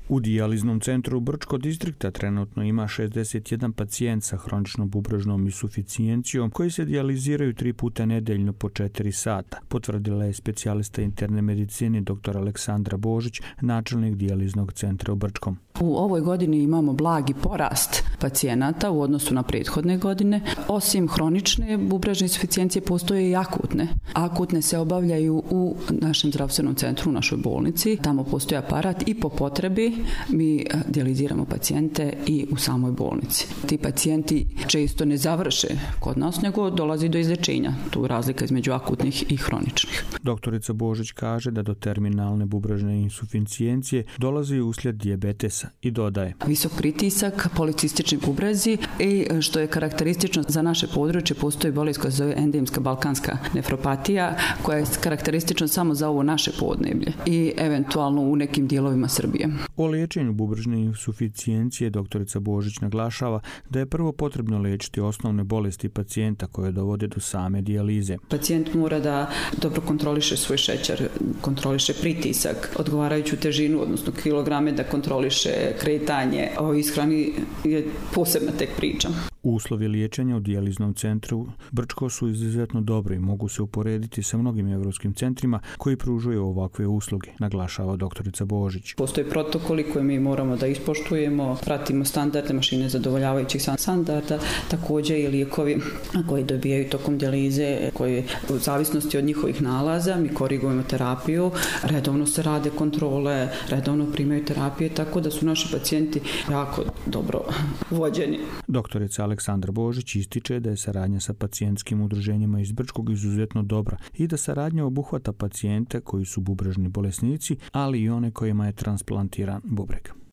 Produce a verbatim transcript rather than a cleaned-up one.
U dijaliznom centru Brčko distrikta trenutno ima šezdeset jedan pacijent sa hroničnom bubrežnom insuficijencijom koji se dijaliziraju tri puta nedeljno po četiri sata, potvrdila je specijalista interne medicine dr. Aleksandra Božić, načelnik dijaliznog centra u Brčkom. U ovoj godini imamo blagi porast pacijenata u odnosu na prethodne godine. Osim hronične bubrežne insuficijencije postoje i akutne. Akutne se obavljaju u našem zdravstvenom centru, u našoj bolnici. Tamo postoji aparat i po potrebi mi dijaliziramo pacijente i u samoj bolnici. Ti pacijenti često ne završe kod nas, nego dolazi do izlječenja. Tu je razlika između akutnih i hroničnih. Doktorica Božić kaže da do terminalne bubrežne insuficijencije dolazi uslijed dijabetesa i dodaje. Visok pritisak, policistični bubrezi i što je karakteristično za naše područje, postoji bolest koja se zove endemska balkanska nefropatija, koja je karakteristična samo za ovo naše podneblje i eventualno u nekim dijelovima Srbije. O liječenju bubrežne insuficijencije doktorica Božić naglašava da je prvo potrebno liječiti osnovne bolesti pacijenta koje dovode do same dijalize. Pacijent mora da dobro kontroliše svoj šećer, kontroliše pritisak, odgovarajuću težinu, odnosno kilograme, da kontroliše kretanje. O ishrani je posebna tek priča. Uslovi liječenja u dijaliznom centru Brčko su izuzetno dobri i mogu se uporediti sa mnogim evropskim centrima koji pružuju ovakve usluge, naglašava doktorica Božić. Postoje protokoli koje mi moramo da ispoštujemo, pratimo standarde mašine zadovoljavajućih standarda, također i lijekovi koji dobijaju tokom dijalize, koji u zavisnosti od njihovih nalaza mi korigujemo terapiju, redovno se rade kontrole, redovno primaju terapije, tako da su naši pacijenti jako dobro vođeni. Doktorica Aleksandra Božić ističe da je saradnja sa pacijentskim udruženjima iz Brčkog izuzetno dobra i da saradnja obuhvata pacijente koji su bubrežni bolesnici, ali i one kojima je transplantiran bubreg.